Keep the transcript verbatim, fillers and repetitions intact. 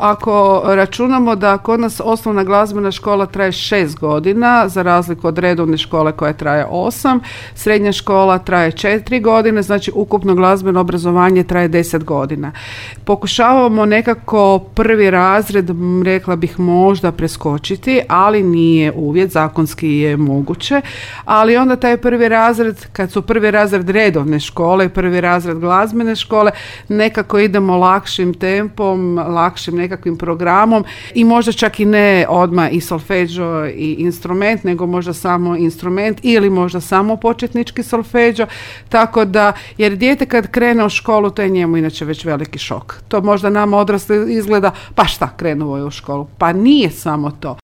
Ako računamo da kod nas osnovna glazbena škola traje šest godina, za razliku od redovne škole koja traje osam, srednja škola traje četiri godine, znači ukupno glazbeno obrazovanje traje deset godina. Pokušavamo nekako prvi razred, rekla bih, možda preskočiti, ali nije uvjet, zakonski je moguće, ali onda taj prvi razred, kad su prvi razred redovne škole i prvi razred glazbene škole, nekako idemo lakšim tempom, lakšim nekakvim programom i možda čak i ne odmah i solfeđo i instrument, nego možda samo instrument ili možda samo početnički solfeđo, tako da, jer dijete kad krene u školu, to je njemu inače već veliki šok. To možda nama odrasli izgleda, pa šta, krenuo je u školu. Pa nije samo to.